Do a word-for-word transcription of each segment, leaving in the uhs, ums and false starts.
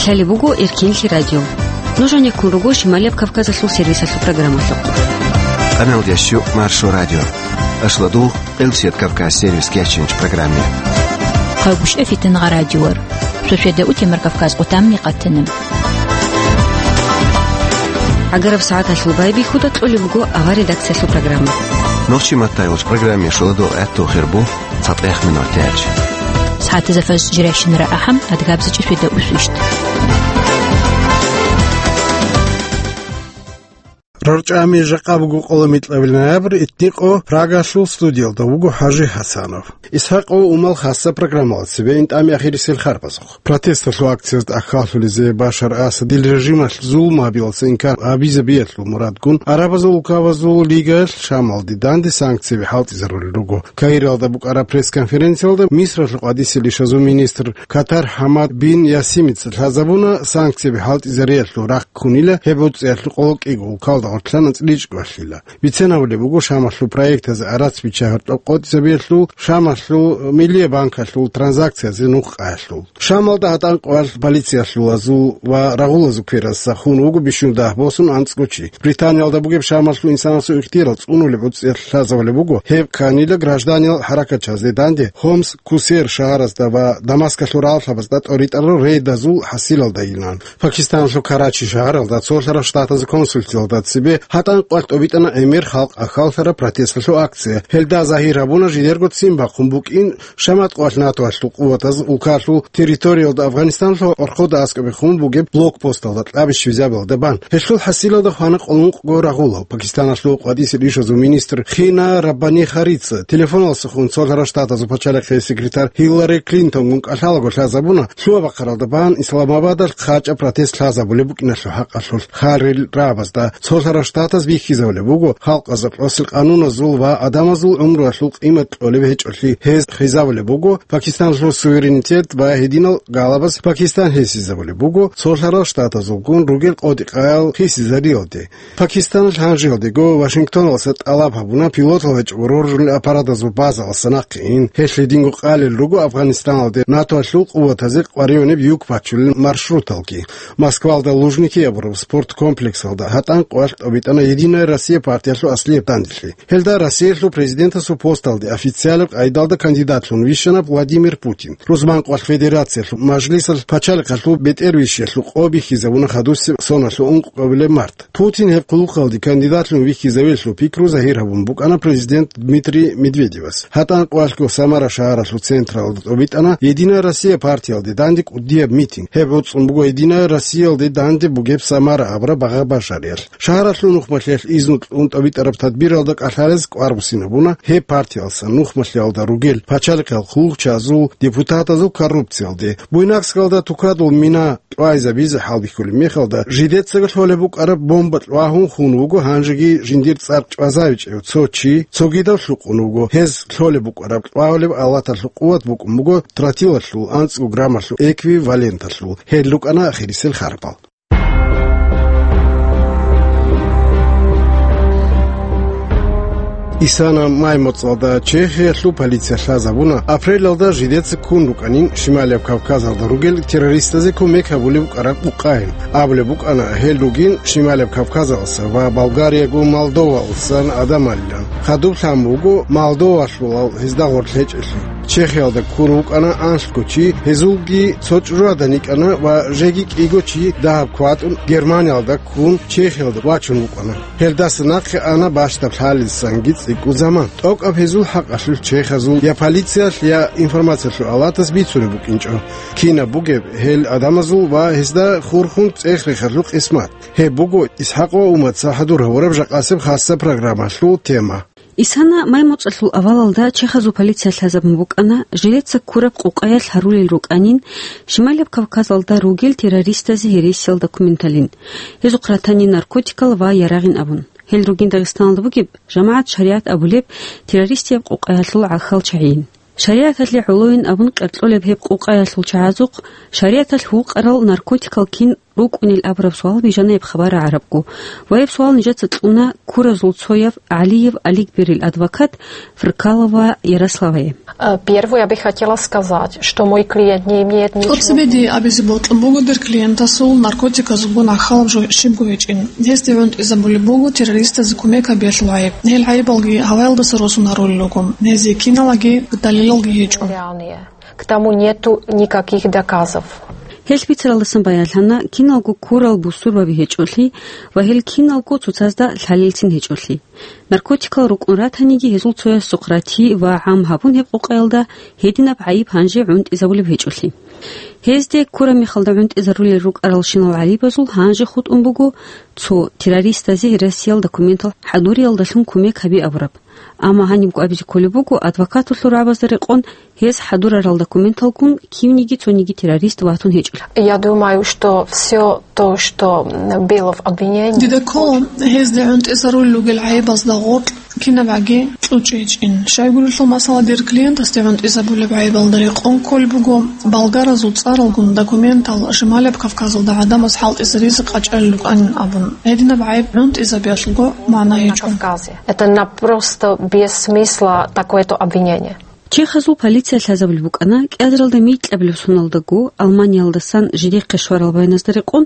Гьале буго Эркинлъи радио. Нуж гьанеккун руго Шималияб Кавказалъул сервисалъул программалъухъ. Къаналдящу Маршо радио. Ашладул Къилсият Кавказ сервис кечинч программе. Хъагушев Фитнагъа радиор. Шошеда утемар Кавказ къутамни къатана. Агараб сагӀаталъул байбихьуда кьолеб буго авар редакциялъул программа. Нохчи маттайвулч программе шуладул гӀатту хирбу. ЦатӀех минутаялъ. СагӀатазда фаз жирайщинара ахӀам, адгабза чӀишвида усвищт. РорчӀами жакъа буго къоло микьабил ноябрь, итникъо Прагалъул студиялда вуго ХӀажи ХӀасанов. ИсхӀакъов Умал хасса программалда цебе ин тӀами ахирисел харбазухъ. Протесталъул акциязда тӀахьаллъулезе Башар Асадил режималъ зулму гьабиялдаса инкар гьабизабиялъул мурадгун, Арабазул улкабазул лигаялъ Шамалде данде санкцияби хӀалтӀизарулел руго. Каиралда букӀараб пресс-конференциялда Мисралъул къвадисел ишазул министр Катар ХӀамад бин Ясимица лъазабуна, санкцияби хӀалтӀизариялъул рахъ ккунила гьеб гӀуцӀиялъул къоло кӀиго улкалда гъорлъана цӀличӀго алъила. Бицен гьабулеб буго, Шамалъул проектазе гӀарац биччагьараб тӀокӀкӀотӀизабиялъул, Шамалъул Миллия банкалъул транзакциязе нух къаялъул. Шамалда гьатӀан къвалъ полициялъулазул ва рагъулазул кверасда хун вуго бищун дагь босун анцӀго чи. Британиялда бугеб Шамалъул инсанасул ихтияр цӀунулеб гӀуцӀиялъ лъазабулеб буго, гьеб кканила гражданиял хӀаракатчазде данде Хомс, Кусер шагьаразда ва Дамаскалъул рагъалъабазда тӀоритӀарал рейдазул хӀасилалдайилан. Пакистаналъул Карачи шагьаралда Цолъарал Штатазул консульствалда цебе гьатӀан къвалъ тӀобитӀана гӀемер халкъ ахьаллъараб протесталъул акция. Гьелда загьир гьабуна жидерго ццин бахъун букӀин Шамат къвалъ НАТОялъул къуватаз улкалъул территориялда Афганистаналъул къоркъода аскӀобе хун бугеб блокпосталда кьабищ визабилда бан. Гьелъул хӀасилалда хвана къоло ункъго рагъулал. Пакистаналъул къвадисел ишазул министр Хина Раббани Харица телефоналдаса хун Цолъарал Штатазул пачалихъе секретарь Хиллари Клинтонгун кӀалъалаго лъазабуна, лъугьа-бахъаралда бан Исламабадалъ хъачӀаб протест лъазабулеб букӀиналъул хӀакъалъулъ хъарил рагӀабазда. Цолъарал Штатаз бихьизабулеб буго халкъазда кьосел къануназул ва адамазул гӀумруялъул къимат кьолеб гьечӀолъи гьез хизабулеб буго, Пакистаналъул суверенитет ва гьединал галабаз Пакистан хисизабулеб буго Цолъарал Штатазулгун ругел къотӀи-къаял хисизариялде. Пакистаналъ гьанжеялдего Вашингтоналдаса тӀалаб гьабуна пилотал гьечӀого роржулел аппаратазул базалдаса нахъе ин. Гьелъ гьединго къалел руго Афганистаналде НАТОялъул къуватазе къваригӀунеб юк бачулел маршруталги. Москвалда Лужники абураб спорт комплексалда гьатӀан къвалъ тӀобитӀана Единая Россия партиялъул аслияб данделъи. Гьелда Россиялъул президентасул посталде официалаб къайдалда кандидатлъун вищана Владимир Путин. Рузман къвалъ Федерациялъул Мажлисалъ пачалихъалъул бетӀервищиялъул къо бихьизабуна хадусеб соналъул ункъабилеб март. Путин гьеб хъулухъалде кандидатлъун вихьизавеллъул пикру загьир гьабун букӀана президент Дмитрий Медведевас. ГьатӀан къвалъго Самара шагьаралъул централда тӀобитӀана Единая Россия партиялде данде кӀудияб митинг. Гьеб гӀуцӀун буго Единая Россиялде данде бугеб Самара абураб багъа-бажариялъ. Шагьаралъул нухмалъиялъ изну кьун тӀобитӀараб тадбиралда кӀалъалез кӀвар буссинабуна гьеб партиялдасан нухмалъиялда ругел пачалихъал хъулухъчазул депутатазул коррупциялде. Буйнакскалда тукадул мина кьвайзабизе хӀалбихьулеб мехалда, жидецаго лъолеб букӀараб бомба кьвагьун хун вуго гьанжеги жиндир цӀар чӀвазавичӀев цо чи, цогидав лъукъун вуго. Гьез лъолеб букӀараб кьвагьулеб алаталъул къуват букӀун буго тротилалъул анцӀго граммалъул эквиваленталъул. Гьел рукӀана ахирисел харпал. Исана май моцӀалда Чехиялъул полиция лъазабуна, апрелалда жидеца ккун рукӀанин Шималияб Кавказалда ругел террористазе кумек гьабулеб букӀараб къукъайин. Абулеб букӀана, гьел ругин Шималияб Кавказалдаса ва Болгариягун Молдовалдасан адамалилан. Хадуб лъан буго Молдовалъулал гьезда гъорлъ гьечӀелъул. Чехиялда ккун вукӀана анлъго чи, гьезулги цо чӀужугӀадан йикӀана ва жеги кӀиго чи дагьаб кватӀун Германиялда ккун Чехиялда вачун вукӀана. Гьелдаса нахъе ана бащдаб лъалидасанги цӀикӀкӀун заман. ТӀокӀаб гьезул хӀакъалъулъ чехазул я полициялъ, я информациялъул алатас бицунеб букӀинчӀо кинаб бугеб гьел адамазул ва гьезда хурхун цӀех-рехалъул къисмат. Гьеб буго ИсхӀакъ ва Уматца хӀадур гьавураб жакъасеб хасса программалъул тема. Исана май моцӀалъул авалалда чехазул полиция лъазабун букӀана, жилеца ккураб къукъаялъ гьарулел рукӀанин Шималияб Кавказалда ругел террористазе гьересиял документалин, гьезухъ ратани наркотикал ва ярагъин абун. Гьел ругин Дагъистаналда бугеб жамагӀат шаригӀат абулеб террористияб къукъаялъул гӀахьал чагӀийин. ШаригӀаталъе гӀолойин абун къеркьолеб гьеб къукъаялъул чагӀазухъ шаригӀаталъ вукъарал наркотикал кин рукӀунел абураб суал бижана гьеб хабар рагӀарабго. Ва гьеб суал нижеца кьуна Куразул цояв ГӀалиев Аликберил адвокат Фркалова Ярославае. Э, первое, я бы хотела сказать, что мой клиент не имеет ничего. ТӀоцебе дие абизе бокьун буго дир клиентасул наркотиказулгун гӀахьалаб жо щибго гьечӀин. Гьесде гӀунтӀизабулеб буго террористазе кумек гьабиялъул гӀайиб. Гьел гӀайибалги гьаваялдаса росун гьарулел руго. Гьезие киналги далилалги гьечӀо. Реальные. К тому нету никаких доказов. Гьелъ бицаралдасан баянлъана, киналго ккурал бусурбаби гьечӀолъи ва гьел киналго цоцазда лъалелцин гьечӀолъи. Наркотикал рукӀун ратаниги, гьезул цоясухъ рати ва гӀам гьабун гьеб къокъаялда гьединаб гӀайиб гьанже гӀунтӀизабулеб гьечӀолъи. Гьезде ккураб мехалда гӀунтӀизарулел рукӀаралщинал гӀайибазул гьанже хутӀун буго цо террористазе Россиял документал хӀадуриялдалъун кумек гьаби абураб. Амма гьанибго абизе кколеб буго, адвокаталъул рагӀабазда рекъон, гьез хӀадурарал документалгун кивниги цониги террорист ватун гьечӀолъи. Я думаю, что всё то, что, м, было в обвинении. Дида ккола, гьезде гӀунтӀизарулел ругел гӀайибазда гъоркь кинабгӀаги кьучӀичӀин. Щайгурелъул масала, дир клиентасде гӀунтӀизабулеб гӀайибалда рекъон кколеб буго, болгаразул цӀаралгун документал Шималаб Кавказалда гӀадамаз хӀалтӀизаризе къачӀалел рукӀанин абун. Гьединаб гӀайиб гӀунтӀизабиялъулго магӀна гьечӀо. На Кавказе. Это на просто без смысла такое-то обвинение. Чехазул полиция лъазабулеб букӀана, кӀиазаралда микьабилеб соналдаго Алманиялдасан жидехъе щварал баяназда рекъон,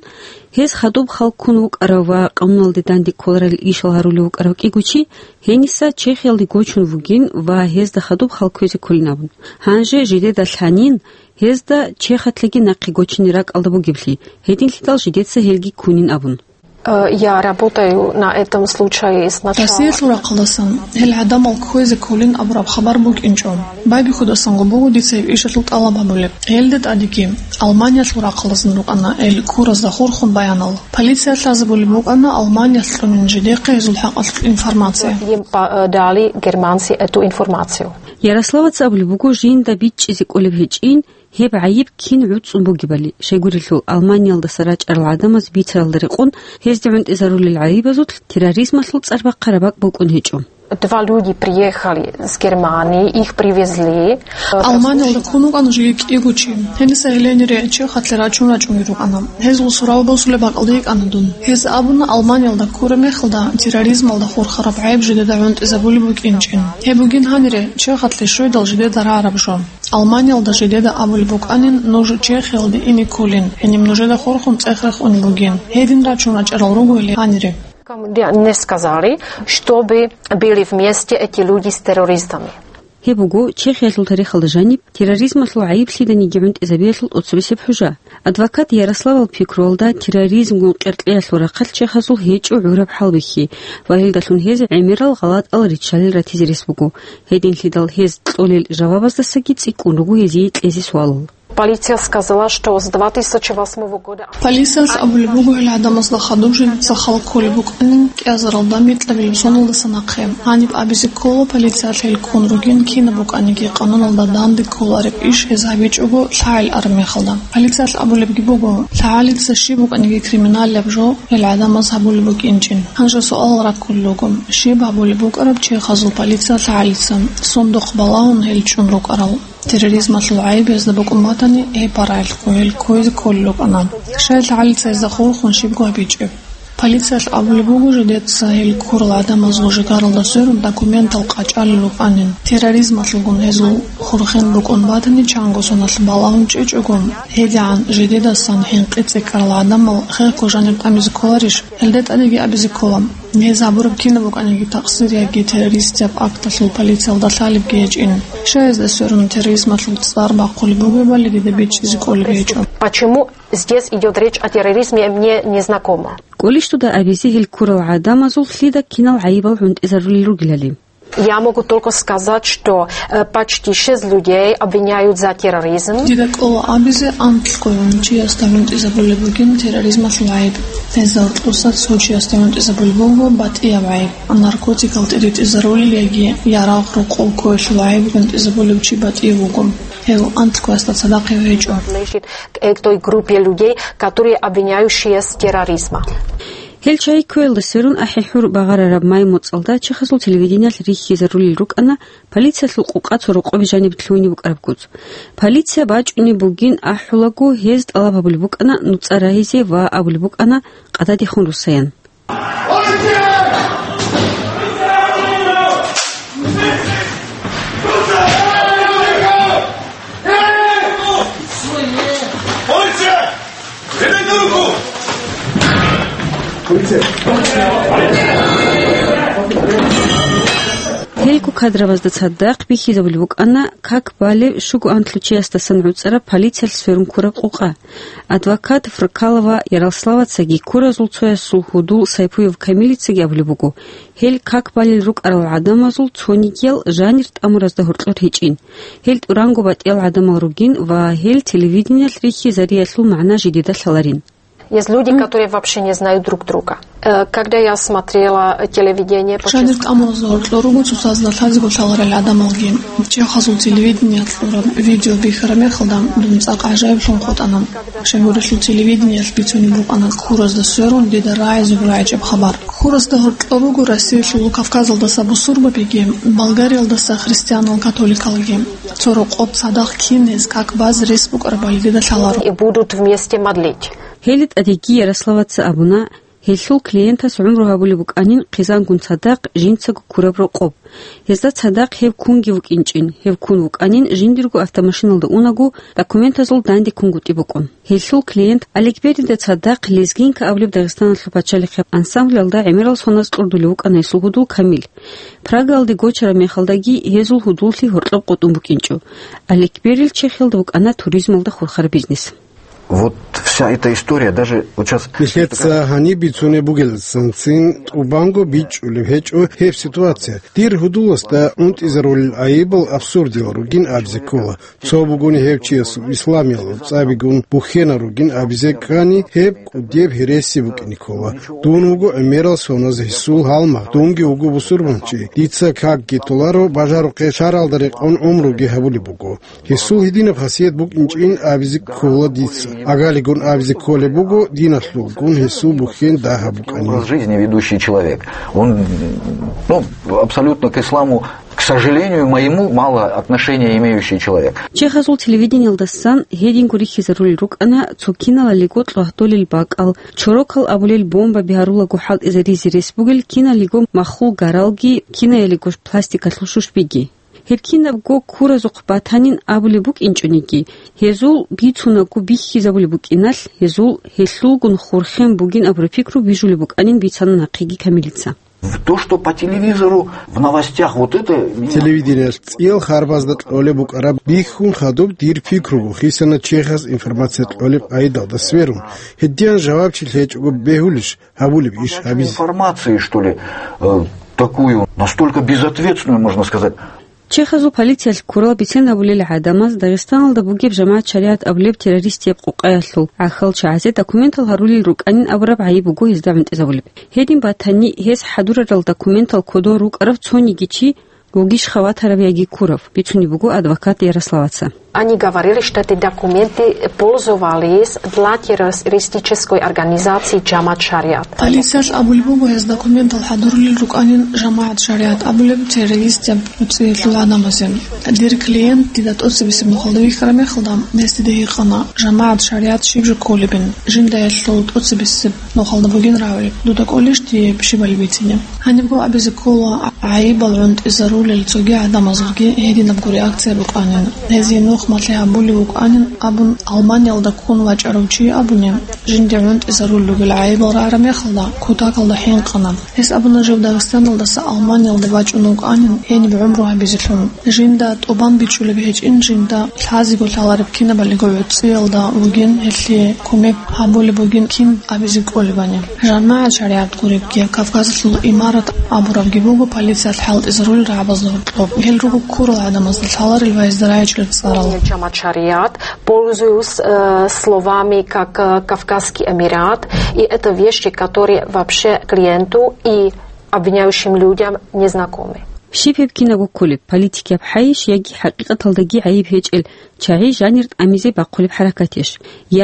гьез хадуб хал ккун вукӀарав ва къануналде данде кколарел ишал гьарулев вукӀарав кӀиго чи гьениса Чехиялде гочун вугин ва гьезда хадуб хал кквезе кколин абун. Гьанже жидеда лъанин, гьезда Чехалъеги нахъе гочине ракӀалда бугеблъи, гьединлъидал жидеца гьелги ккунин абун. Э, я работаю на этом случае с начала. Россиялъул рахъалдасан гьел гӀадамал кквезе кколин абураб хабар букӀинчӀо. Байбихьудасанго буго дица гьеб ишалъул тӀалаб гьабулеб. Гьелде тӀадеги Алманиялъул рахъалдасан рукӀана гьел ккуразда хурхун баянал. Полиция лъазабулеб букӀана Алманиялъ кьунин жидехъе гьезул хӀакъалъулъ информация. Им па-, э, дали германцы эту информацию. Ярославаца абулеб буго, жинда бичӀчӀизе кӀолеб гьечӀин, гьеб гӀайиб кин гӀуцӀун бугебали, щайгурелъул Алманиялдаса рачӀарал гӀадамаз бицаралда рекъон, гьезде гӀунтӀизарулел гӀайибазулъ терроризмалъул цӀар бахъараб бакӀ букӀун гьечӀо. Два люди приехали с Германии, их привезли. Алманиялда ккун вукӀана жеги кӀиго чи. Гьениса гьеленире Чехалъе рачун рачӀунги рукӀана. Гьезул сурал босулеб бакӀалде йикӀана дун. Гьез абуна, Алманиялда ккураб мехалда терроризмалда хурхараб гӀайиб жидеда гӀунтӀизабулеб букӀинчӀин. Гьеб бугин гьанире, Чехалъе щведал жидеда рагӀараб жо. Алманиялда жидеда абулеб букӀанин, нуж Чехиялде ине кколин, гьениб нужеда хурхун цӀех рехун бугин. Гьедин рачун рачӀарал ругойилан гьанире. Мне сказали, чтобы были вместе эти люди с террористами. Гьеб буго Чехиялъул тарихалда жаниб терроризмалъул гӀайиблъиданиги гӀунтӀизабиялъул тӀоцебесеб хӀужа. Адвокат Ярославал пикруялда, терроризмгун къеркьеялъул рахъалъ чехазул гьечӀо гӀураб хӀалбихьи ва гьелдалъун гьез гӀемерал гъалатӀал риччалел ратизе рес буго. Гьединлъидал гьез кьолел жавабаздасаги цӀикӀкӀун руго гьезие кьезе суалал. Полиция сказала, что с две тысячи восьмого года. Полициялъ абулеб буго, гьел гӀадамазда хадуб жиндица хал кколеб букӀанин кӀиазаралда микьабилеб соналдаса нахъе. Гьаниб абизе ккола, полициялъ гьел ккун ругин кинаб букӀаниги къануналда данде кколареб иш гьез гьабичӀого лъагӀел араб мехалда. Полициялъ абулебги буго, лъагӀалица щиб букӀаниги криминалияб жо гьел гӀадамаз гьабулеб букӀинчӀин. Гьанже суалал раккулел руго, щиб гьабулеб букӀараб чехазул полиция лъагӀалица, сундухъ балагьун гьел чӀун рукӀарал? Терроризмалъул гӀайиб гьезда букӀун батани, гьеб парагӀелъухъ гьел кквезе кколел рукӀана. Щай лъагӀалица гьезда хурхун щибго гьабичӀеб? Полициялъ абулеб буго, жидеца гьел ккурал гӀадамазул жигаралда сверун документал къачӀалел рукӀанин. Терроризмалъулгун гьезул хурхин букӀун батани, чанго соналъ балагьун чӀечӀого, гьедигӀан жидедасан хӀинкъи цӀикӀкӀарал гӀадамал хехго жанир тӀамизе кколарищ? Гьелде тӀадеги абизе ккола, гьез гьабураб кинаб букӀаниги такъсир яги террористияб акталъул полициялда лъалебги гьечӀин. Щай гьезда сверун терроризмалъул цӀар бахъулеб бугебали дида бичӀчӀизе кӀолеб гьечӀо. Почему здесь идёт речь о терроризме, мне незнакомо. КӀолищ дуда абизе гьел ккурал гӀадамазул лъида кинал гӀайибал гӀунтӀизарулел ругелали? Я могу только сказать, что, э, почти шесть людей обвиняют за терроризм. Дида кӀола абизе, анкьго чиясда гӀунтӀизабулеб бугин терроризмалъул гӀайиб. Гьезда гьоркьоса цо чиясда гӀунтӀизабулеб буго батӀияб гӀайиб. Наркотикал тӀиритӀизарулел яги ярагъ-рокъов кколелъул гӀайиб гӀунтӀизабулев чи батӀияб вуго. Гьев анкьгоясда цадахъ гьечӀо. К этой группе людей, которые обвиняющиеся терроризма. Гьел чайи кквеялда сверун ахӀи-хӀур багъарараб май моцӀалда чехасул телевидениялъ рихьизарулел рукӀана полициялъул къукъа цо рокъобе жаниб лъугьине букӀараб гуц. Полиция бачӀунеб бугин ахӀулаго, гьез тӀалаб гьабулеб букӀана нуцӀа рагьизе ва абулеб букӀана къададехун руссаян. Гьелго кадровазда цадахъ бихьизабулеб букӀана как балеб щуго анлъучиясдасан гӀуцӀараб полициялъ сверун ккураб къукъа. Адвокат Фракалова Ярославацаги ккуразул цоясул гьудул Сайпуев Камилицаги абулеб буго, гьел как балел рукӀарал гӀадамазул цонигиял жанир тӀамуразда гьоркьор гьечӀин. Гьел тӀуранго батӀиял гӀадамал ругин ва гьел телевидениялъ рихьизариялъул магӀна жидеда лъаларин. Есть люди, которые вообще не знают друг друга. Э, когда я смотрела телевидение, жанир тӀамуразда гьоркьор руго цоцазда лъазего лъаларал гӀадамалги. Чехасул телевидениялъ кьураб видео бихьараб мехалда дун цӀакъ гӀажаиблъун хутӀана. Щайгурелъул телевидениялъ бицунеб букӀана ккуразда сверун дида рагӀизе гурай гӀечӀеб хабар. Ккуразда гьоркьор руго Россиялъул Кавказалдаса бусурбабиги, Болгариялдаса христианал-католикалги. Цо рокъоб цадахъ кин гьез как базе рес букӀарабали дида лъаларо. И будут вместе молить. Гьеле тӀадеги Ярославаца абуна, гьелъул клиентас гӀумру гьабулеб букӀанин хъизангун цадахъ жинцаго ккураб рокъоб. Гьезда цадахъ гьев ккунги вукӀинчӀин, гьев ккун вукӀанин жиндирго автомашиналда унаго документазул данде ккунгутӀи букӀун. Гьелъул клиент Аликберида цадахъ «Лезгинка» абулеб Дагъистаналъул пачалихъе ансамблалда гӀемерал соназ кьурдулев вукӀана гьесул гьудул Камил. Прагаялде гочараб мехалдаги гьезул гьудуллъи гьоркьоб къотӀун букӀинчӀо. Аликберил Чехиялда вукӀана туризмалда хурхараб бизнес. Вот вся эта история, даже вот щас... Нилъеца гьаниб бицунеб бугелдасанцин тӀубанго бичӀчӀулеб гьечӀо гьеб ситуация. Дир гьудуласда унтӀизарулел айибал абсурдиял ругин абизе ккола. Цо бугони гьев чиясул исламиял цӀабигун бухьена ругин абизе ккани, гьеб кӀудияб гьереси букӀине ккола. Дун вуго гӀемерал соназ гьесул гьалмагъ, дунги вуго бусурбанчи. Дица какги толаро, бажарухъе шаргӀалда рекъон гӀумруги гьабулеб буго. Гьесул гьединаб хасият букӀинчӀин абизе ккола дица. Агалигун абизе кколеб буго, диналъулгун гьесул бухьен дагьаб букӀанин. Образ жизни ведущий человек. Он, ну, абсолютно к исламу, к сожалению моему, мало отношения имеющий человек. Чехасул телевидениялдасан гьединго рихьизарулел рукӀана цо киналалиго лъугьдулел бакӀал, чорокал абулел бомбаби гьарулаго хӀалтӀизаризе рес бугел киналиго махул гаралги, кинаялиго пластикалъул шушбиги. Гьеб кинабго ккуразухъ батанин абулеб букӀинчӀониги, гьезул бицунаго бихьизабулеб букӀиналъ, гьезул гьелъулгун хурхен бугин абураб пикру бижулеб букӀанин бицана нахъеги Камилица. То, что по телевизору, в новостях, вот это меня... Телевидениялъ цӀиял харбазда кьолеб букӀараб бихьун хадуб дир пикруго, хисана чехас информация кьолеб къайдалда сверун. Гьединан жавабчи лъечӀого бегьулищ гьабулеб иш гьабизе? Информации, что ли, э, такую, настолько безответственную, можно сказать. Чехазул полициялъ ккурал бицен абулел гӀадамаз Дагъистаналда бугеб жамагӀат шаригӀат абулеб террористияб къукъаялъул гӀахьал чагӀазе документал гьарулел рукӀанин абураб гӀайиб буго гьезда гӀунтӀизабулеб. Гьедин батани, гьез хӀадурарал документал кодон рукӀарав цониги чи вугищха ватарав яги ккурав, бицунеб буго адвокат Ярославаца. Они говорили, что эти документы пользовались для террористической организации Джамат Шариат. Полициялъ абулеб буго гьез документал хӀадурулел рукӀанин ЖамагӀат ШаригӀат абулеб террористияб цӀиялъул гӀадамазе. Дир клиент дида тӀоцебесеб нухалда вихьараб мехалда, гьес дида гьикъана, ЖамагӀат ШаригӀат щиб жо кколебин, жинда гьелъул тӀоцебесеб нухалда бугин равил, дуда кӀолищ дие щибали бицине? Гьанибго абизе ккола, гӀайибал гӀунтӀизарулел цоги гӀадамазулги гьединабго реакция букӀанин. Гьезие нух малъи гьабулев вукӀанин абун, Алманиялда ккун вачӀарав чи абуни, жинде гӀунтӀизарулел ругел гӀайибал рагӀараб мехалда, кутакалда хӀинкъана. Гьес абуна, жив Дагъистаналдаса Алманиялде вачӀун вукӀанин, гьениб гӀумру гьабизелъун. Жинда тӀубан бичӀчӀулеб гьечӀин, жинда лъазего лъалареб кинабалиго гӀуцӀиялда вугин, гьелъие кумек гьабулеб бугин кин абизе кӀолебани. ЖамагӀат ШаригӀат гуребги, Кавказалъул имарат абурабги буго полициялъ хӀалтӀизарулел рагӀабазда гьоркьоб. Гьел руго ккурал гӀадамазда лъаларел ва гьезда рагӀичӀел цӀарал. Джамат Шариат, пользуюсь, э, словами как, э, Кавказский Эмират, и это вещи, которые вообще клиенту и обвиняющим людям не знакомы. Щиб гьеб кинабго кколеб, политикияб хӀайищ яги хӀакъикъаталдаги гӀайиб гьечӀел чагӀи жанир тӀамизе бахъулеб хӀаракатищ?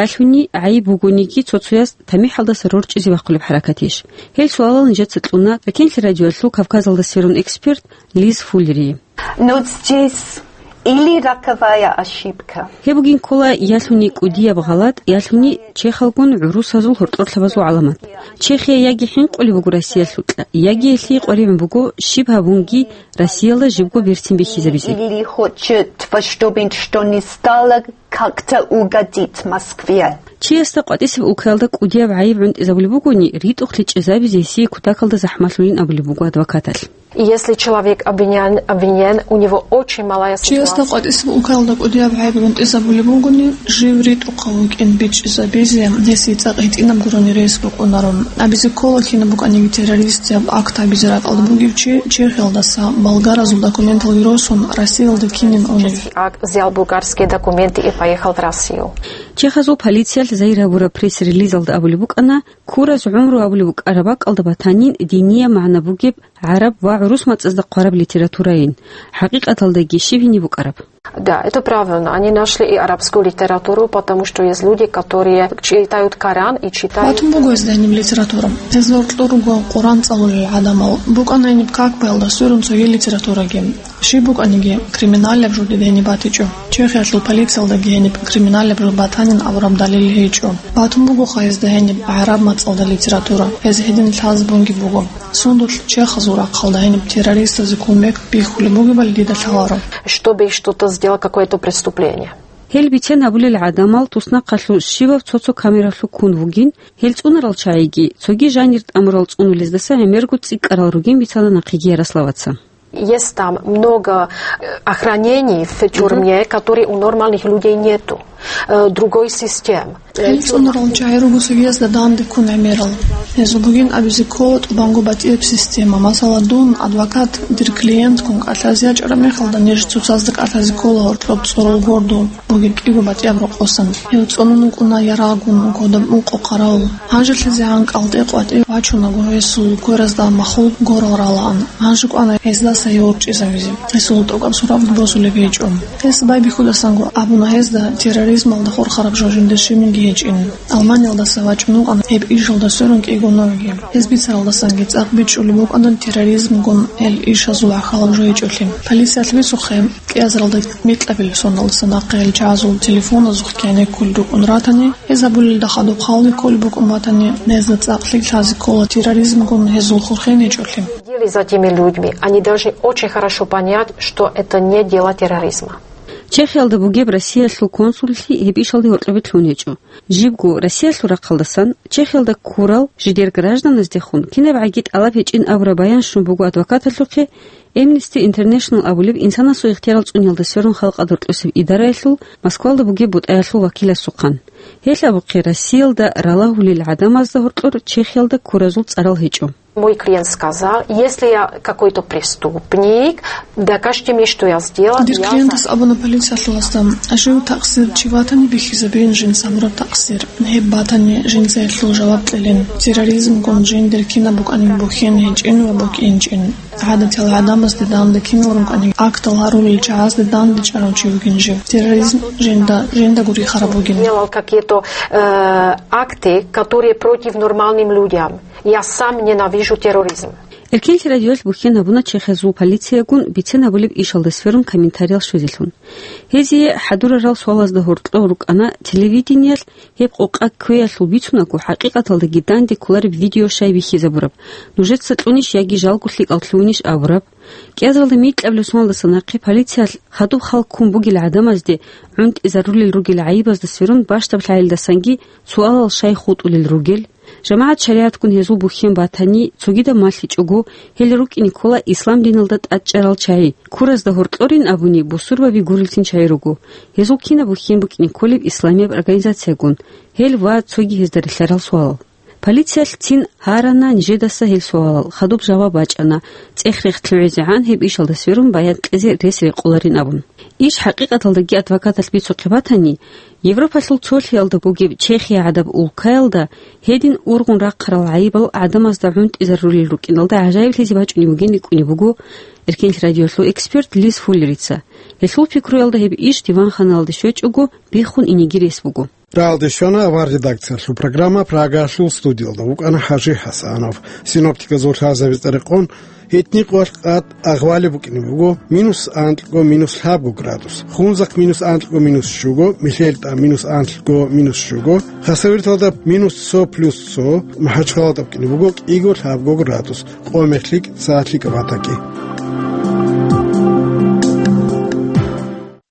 Ялъуни гӀайиб бугониги, цо-цояс тамихӀалдаса рорчӀизе бахъулеб хӀаракатищ? Гьел суалал нижеца кьуна Эркенлъи радиоялъул Кавказалда сверун эксперт Лиз Фуллерие. Но здесь или роковая ошибка. Гьеб бугин ккола ялъуни кӀудияб гъалатӀ, ялъуни чехалгун гӀурусазул гьоркьорлъабазул гӀаламат. Чехия яги хӀинкъулеб буго Россиялъукьа, яги гьелъие къваригӀун буго щиб гьабунги Россиялда жибго берцин бихьизабизе. Или хочет во что бы то ни стало как-то угодить Москве. Чиясда къватӀисеб улкаялда кӀудияб гӀайиб гӀунтӀизабулеб бугони, ритӀухълъи чӀезабизе гьесие кутакалда захӀмалъулин абулеб буго адвокаталъ. И если человек обвинян, обвинен, у него очень малая... Чиясда ситуация. КъватӀисеб улкаялда кӀудияб гӀайиб гӀунтӀизабулеб бугони, жив ритӀухъав вукӀин бичӀчӀизабизе гьесие цӀакъ гьитӀинаб гурони рес букӀунаро. Абизе ккола, кинаб букӀаниги террористияб акт гьабизе ракӀалда бугев чи Чехиялдаса болгаразул документалги росун Россиялда кинин унев. Акт, взял болгарские документы и поехал в Россию. Чехазул полициялъ загьир гьабураб пресс-релизалда абулеб букӀана, ккураз гӀумру абулеб букӀараб бакӀалда батанин диниял магӀна бугеб гӀараб ва гӀурус мацӀазда хъвараб литературайин. ХӀакъикъаталдаги щиб гьениб букӀараб? Да, это правильно. Они нашли и арабскую литературу, потому что есть люди, которые читают Коран и читают... Батун буго гьезда гьениб литература. Гьезда гьоркьор руго Къуран цӀалулел гӀадамал. БукӀана гьениб Кагбаялда сверун цоги литератураги. Щиб букӀаниги, криминалаб жо дида гьениб батичӀо. Чехиялъул полициялдаги гьениб криминалаб жо батанин абураб далил гьечӀо. Батун бугоха гьезда гьениб гӀараб мацӀалда литература. Гьез гьедин лъазе бунги буго. Сундулъ чехазул рахъалда гьениб террористазе кумек бихьулеб бугебали дида лъаларо. Чтобы что-то сделал, какое-то преступление. Гьел бицен гьабулел гӀадамал туснахъалъув щибаб цо-цо камералъув ккун вугин, гьел цӀунарал чагӀиги, цоги жанир тӀамурал цӀунулездаса гӀемерго цӀикӀкӀарал ругин бицана нахъеги Ярославаца. Есть там много, э, охранений в тюрьме, которые у нормальных людей нету. Э, другой систем. Гьел цӀунарал чагӀи руго цогиязда данде ккун гӀемерал. Гьезул бугин абизе ккола тӀубанго батӀияб система. Масала, дун, адвокат, дир клиентккун кӀалъазе ячӀараб мехалда, ниж цоцазда кӀалъазе ккола гьоркьоб цӀорол гордул бугеб кӀиго батӀияб рокъосан. Гьев цӀунун вукӀуна ярагъун, кодоб ункъо хъаравул. ГьанжелъизегӀан кӀалтӀе-къватӀе вачунаго гьесул кверазда махул горал ралаан. Гьанже кӀвана гьездаса гьев ворчӀизавизе. Гьесул тӀокӀаб суратги босулеб гьечӀо. Гьес байбихьудасанго абуна гьезда терроризмалда хурхараб жо жинда щибниги гьечӀин. Алманиялдаса вачӀун вукӀана гьеб ишалда сверун кӀиго новги. Гьез бицаралдасанги цӀакъ бичӀчӀулеб букӀана терроризмгун гьел ишазул гӀахьалаб жо гьечӀолъи. Полициялъ бицухъе, кӀиазаралда микьабилеб соналдаса нахъе гьел чагӀазул телефоназухъ кӀиго кколел рукӀун ратани, гьез гьабулелда хадуб халги кколеб букӀун батани, гьезда цӀакъ лъикӀлъазе ккола терроризмгун гьезул хурхен гьечӀолъи. Следили за этими людьми. Они должны очень хорошо понять, что это не дело терроризма. Чехиялда бугеб Россиялъул консуллъи гьеб ишалде гьоркьобе лъун гьечӀо. Жибго Россиялъул рахъалдасан Чехиялда ккурал жидер гражданаздехун кинабгӀаги тӀалаб гьечӀин абураб баян щун буго адвокаталъухъе Amnesty International абулеб инсанасул ихтиярал цӀуниялда сверун халкъалда гьоркьосеб идараялъул Москвалда бугеб бутӀаялъул вакиласухъан. Гьелъ абухъе, Россиялда ралагьулел гӀадамазда гьоркьор Чехиялда ккуразул цӀарал гьечӀо. Мой клиент сказал, если я какой-то преступник, докажите мне, что я сделал, я за... Дир клиентас абуна полициялъуласда, жив такъсир чи ватани бихьизабейин жинца гьабураб такъсир. Гьеб батани, жинца гьелъул жаваб кьелин. Терроризмгун жиндир кинаб букӀанин бухьен гьечӀин ва букӀинчӀин. ГӀадатиял гӀадамазде данде кинал рукӀанин, актал гьарулел чагӀазде данде чӀарав чи вугин жив. Терроризм жинда, жинда гури хараб вугин. Делал какие-то, э, акты, которые против нормальным людям. Я сам ненавижу терроризм. Эркенлъи радиоялъ бухьен гьабуна Чехиязул полициягун бицен гьабулеб ишалда сверун комментариял щвезелъун. Гьезие хӀадурарал суалазда гьоркьов рукӀана телевидениялъ гьеб къокъа кквеялъул бицунаго, хӀакъикъаталдаги данде кколареб видео щай бихьизабураб, нужеца кьунищ яги жалго лъикӀал лъугьунищ абураб. КӀиазаралда микьабилеб соналдаса нахъе полициялъ хадуб хал ккун бугел гӀадамазде гӀунтӀизарулел ругел гӀайибазда сверун бащдаб лъагӀелдасанги суалал щай хутӀулел ругел? ЖамагӀат шаригӀатгун гьезул бухьен батани, цогидаб малъичӀого, гьел рукӀине ккола ислам диналда тӀадчӀарал чагӀи, ккуразда гьоркьорин абуни, бусурбаби гурелцин чагӀи руго. Гьезул кинаб бухьен букӀине кколеб исламияб организациягун? Гьел ва цоги гьезда релълъарал суалал. Полициялъ цин гьарана нижедаса гьел суалал, хадуб жаваб бачӀана, цӀех-рех лъугӀизегӀан гьеб ишалда сверун баян кьезе рес рекъоларин абун. Иш хӀакъикъаталдаги адвокаталъ бицухъе батани, Европалъул цолъиялда бугеб Чехия гӀадаб улкаялда гьедин ургъун рахъарал гӀайибал гӀадамазда гӀунтӀизарулел рукӀиналда гӀажаиблъизе бачӀунеб бугин рикӀкӀунеб буго Эркенлъи радиолъул эксперт Лиз Фуллерица. Гьелъул пикруялда гьеб иш диванханалде щвечӀого биххун инеги рес буго. Рагьалде щвана авар редакциялъул программа Прагаялъул студиялда вукӀана ХӀажи ХӀасанов. Синоптиказул лъазабиз рекъон, гьитни къоялъ къад агъвали букӀине буго минус анкьго минус лъабго градус, Хунзахъ минус анкьго минус щуго, МихьелтӀа минус анкьго минус щуго, Хасавюрталда минус цо плюс цо, МахӀачхъалада букӀине буго кӀиго лъабго градус, Къо-МехлъикӀ, СагӀатлъикӀаб батакӀи.